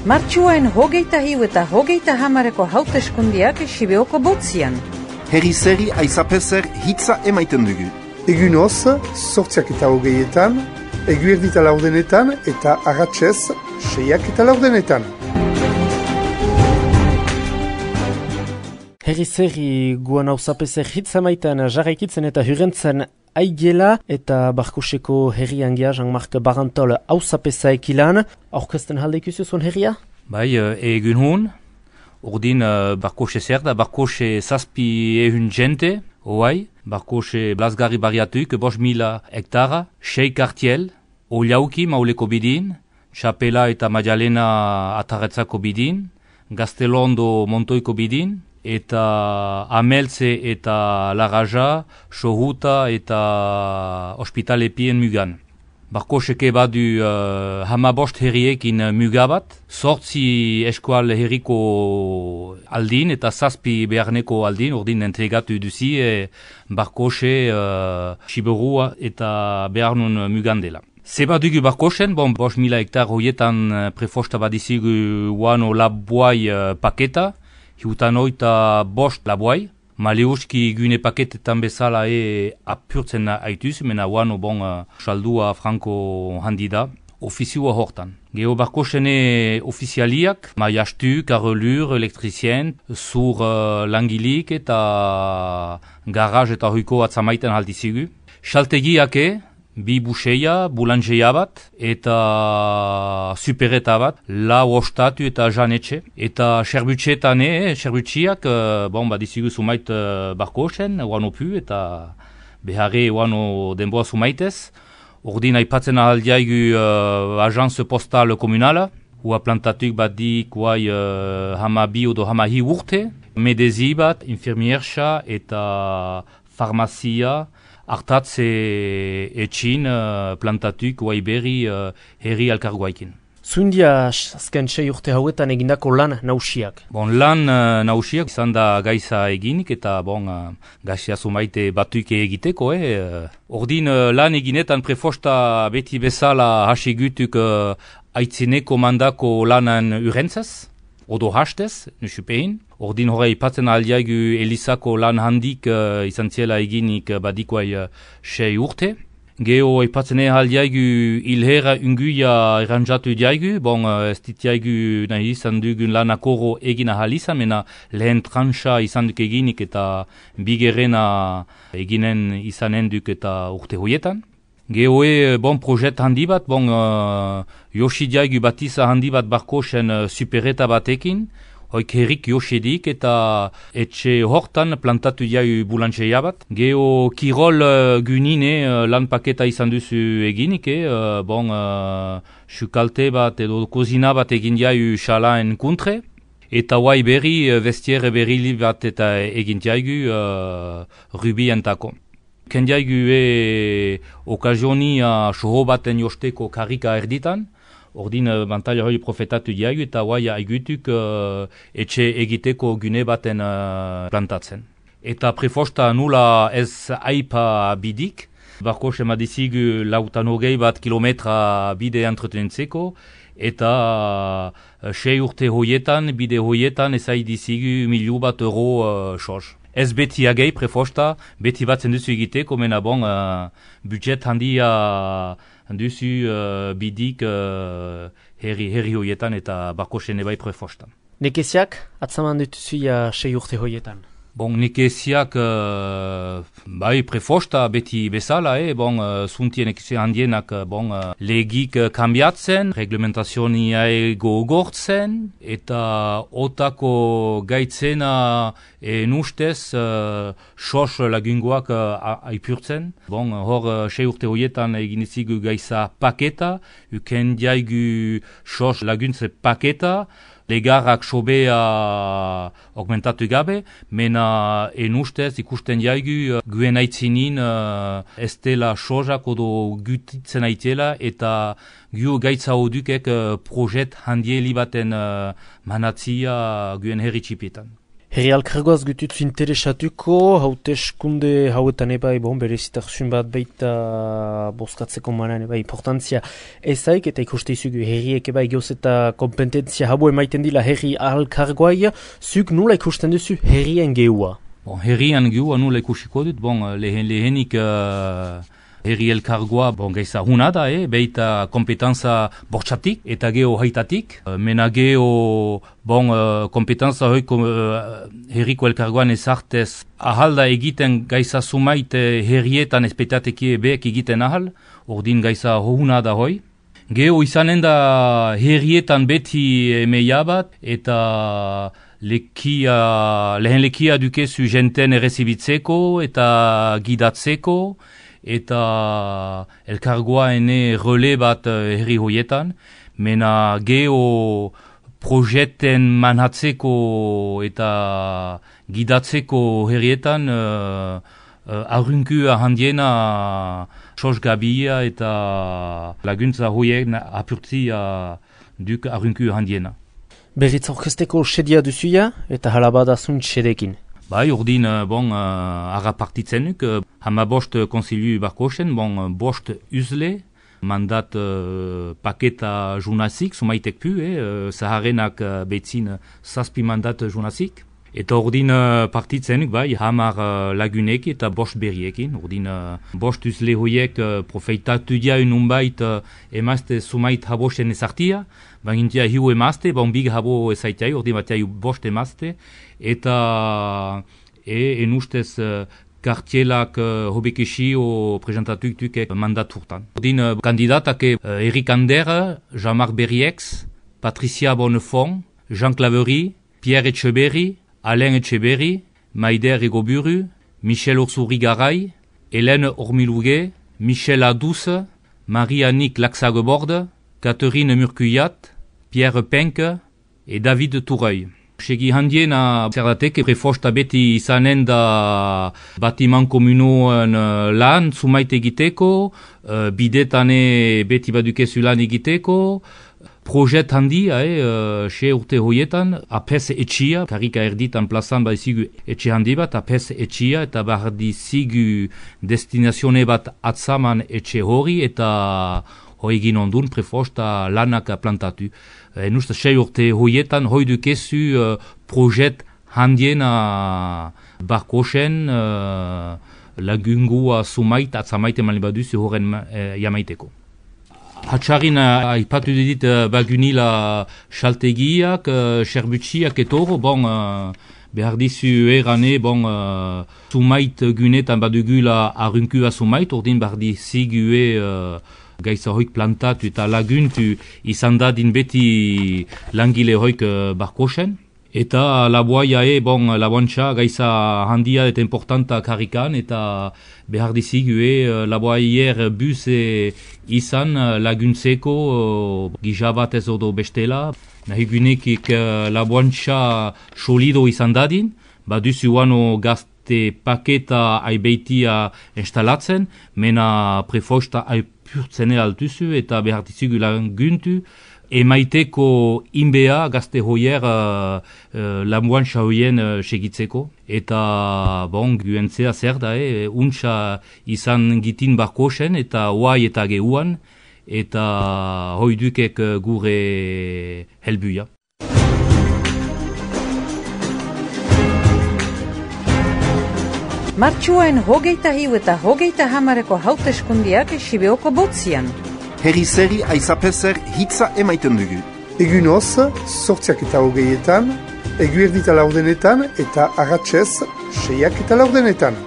Martxuaren 23 eta 30 hauteskundiak Sibeoko botzian. Herri-zeri aizapezer hitza emaiten dugu. Egun hoz, 8:20, eguerdita laurdenetan eta arratsez 6:10. Herri-zeri guan hauzapezer hitza maiten jarraikitzen eta hurrentzen aigela eta Barkoseko herrian gea Jean-Marc Barantol hauzapeza ekilan. Aurkezten halde ikusi zuen herria? Bai, egun hon. Ordin Barkose zer da, Barkose zazpi ehun jente, oai. Barkose blazgarri bariatuik, 5.000 hektara, 6 kartiel, Oliauki mauleko bidin, Txapela eta Madalena ataretzako bidin, Gaztelondo montoiko bidin, eta Ameltze eta Laraja, Sohuta eta Ospitalepien mugan. Barkoseke badu 15 herriekin mugabat, 8 eskual herriko aldin eta 7 beharneko aldin, ordin entregatu duzi Barkose, Siberua eta beharnun mugandela. Zeba dugu Barkosen, 5.000 hektar hoietan prefosta badizigu uano labuai paketa, hiutan oita 5 labuai. Maleuski gune paketetan bezala apurtzen aituz, mena uano saldua franko handi da, ofizioa hortan. Geo Barkosene ofizialiak, maiastu, karolur, elektrizien, zur langilik eta garaj eta hoiko atzamaiten haldizigu. Xaltegiake, 2 buseia, bulangeia bat, eta supereta bat, 4 ostatu eta janetxe. Eta serbutxetane, serbutxiak, badizigu sumait Barkosen, uano pu, eta beharre uano denboa sumaitez. Ordin aipatzen ahaldiaigu agence postal komunala, ua plantatuk badik uai hamabi odo hamahi urte, medezi bat, infirmierxa eta farmazia, hartatze etxin plantatuk uai berri herri alkarguaikin. Zuindia azken 6 urte hauetan egindako lan nausiak? Lan nausiak izan da gaiza eginik eta gaizia sumaite batuike egiteko. Ordin lan eginetan prefosta beti bezala hasigutuk aitzineko mandako lanan urentzaz, odo hastez, nusupein. Ordin horre ipatzen aldiaigu Elizako lan handik izan ziela eginik badikoai 6 urte. Geo ipatzen aldiaigu ilhera unguia eranjatu diaigu, ez ditiaigu nahi izan dugun lan akoro egin ahalizan, mena lehen tranxa izan duk eginik eta bigerena eginen izanen duk eta urte hoietan. Geo projet handi bat, Yoshi diaigu batiza handi bat Barkosen supereta batekin, hoik herrik Yoshidik eta etxe hortan plantatu diaigu bulangeia bat. Geo kirol gunine lan paketa izan duzu eginik, sukalte bat edo kozina bat egin diaigu xalaen kuntre. Eta huai berri, vestiere berri bat eta egin diaigu rubientako. Kendiaigu okazionia soho baten josteko karika erditan, ordin bantaila hori profetatu diaigu eta huai aigutuk etxe egiteko gune baten plantatzen. Eta prefosta nula ez aipa bidik, Barkose madizigu 108 kilometra bide entretentzeko, eta 6 urte hoietan, bide hoietan ezaidizigu €1.000.000 sos. Ez beti agei prefosta, beti batzen duzu egiteko, mena budget handia duzu bidik herri hoietan eta Barkosen ebai prefosta. Nekeziak, atzaman dutuzuia 6 urte hoietan? Nekeziak bai prefosta beti bezala, zuntien nekezia handienak legik kambiatzen, reglementazionia gogortzen, eta otako gaitzena nustez sos lagungoak aipurtzen. Hor 6 urte horietan egin izigu gaiza paketa, uken diaigu sos laguntze paketa, legarrak sobea augmentatu gabe, mena ustez ikusten jaigu guen aitzinin ez dela sozak odo gutitzen aitela eta gu gaitza hodukek projet handieli baten manatzia guen herri txipetan. Herri alkargoaz gututzu interesatuko, hauteskunde hauetan ebai, berezitakzun bat baita bozkatzeko manan ebai importantzia ezaik, eta ikuste izugu herriek ebai gehoz eta kompetentzia hau emaiten dila herri alkargoai, zuk nula ikusten duzu herrien geua? Herrien geua nula ikusiko dut, lehenik herri elkargoa gaiza huna da, beita kompetentza bortxatik eta geho haitatik. Mena geho kompetentza hoiko herriko elkargoan ezartez ahalda egiten gaiza sumait herrietan espetateki beek egiten ahal, ordin gaiza huna da hoi. Geho izanen da herrietan beti emeia bat eta lehen lekia dukezu jenten errezibitzeko eta gidatzeko, eta elkargoa ene rele bat herri hoietan, mena geho projeten manhatzeko eta gidatzeko herrietan arrunkua handiena sosgabia eta laguntza hoiek apurtzia duk arrunkua handiena. Berriz aurkezteko sedia duzuia eta halabadazun sedekin. Urdin, agapartitzen nuk, hamabost konsilu barkosen, bost uzle, mandat paketa journazik, sumaitek pu, zaharenak betzin zazpi mandat journazik. Eta urdin partitzen nuk, hamar lagunek eta bost berriekin. Urdin, bost uzle hoiek profeitatu dia ununbait emazte sumait habosen ezartia, bagintia hiu emazte, big habo ezaitai, urdin batia bost emazte, eta enustez kartielak hobekesi o presentatuik mandat hurtan. Urdin kandidatak Eric Ander, Jean-Marc Berriex, Patricia Bonnefond, Jean Claverie, Pierre Etcheberry, Alain Etcheberry, Maider Egoburu, Michel Ursuri-Garay, Hélène Ormilouguet, Michel Adouce, Marie-Annick Laxageborde, Catherine Murcuyat, Pierre Penque et David Toureuil. Segi handiena zerdatek prefosta beti izanen da batiman komunoen lan sumait egiteko, bidetane beti badukezu lan egiteko, projet handia, xe urte hoietan, apes etxia, karika erditan plazan badizigu etxe handi bat, apes etxia, eta bardizigu destinazione bat atzaman etxe hori, eta hoi egin ondun prefosta lanak plantatu. Nusta xe urte hoietan, hoi dukezu projet handiena barkosen lagungua sumait atzamaite malibaduzu horren jamaiteko. Hatxarin aipatu dit bagunila xaltegiak, xerbutxiak etoro, behar dizu erane, sumait gunetan badugula arrunkua sumait, ordin behar dizigue gaiza hoik plantatu eta laguntu izan dadin beti langile hoik barkosen. Eta laboaia laboantxa gaiza handia eta importanta karikan eta behar dizigue laboaier bus izan laguntzeko gizabatez odo bestela. Nahi gunekik laboantxa solido izan dadin, baduzu wano gazte paketa aibeitia instalatzen, mena prefosta aipurtzene altuzu eta behar dizigu laguntu, emaiteko inbea gazte hoier lamuantxa hoien segitzeko. Eta guentzea zer da, untxa izan gitin barkosen eta oai eta gehuan, eta hoidukek gure helbuia. Martxuain hogeita hiu eta hogeita hamareko hauteskundiak Sibeoko botzian. Herri zeri aizapezer hitza emaiten dugu. Egunoz, 8:08, eguerdita laurdenetan eta arratsez 6:08.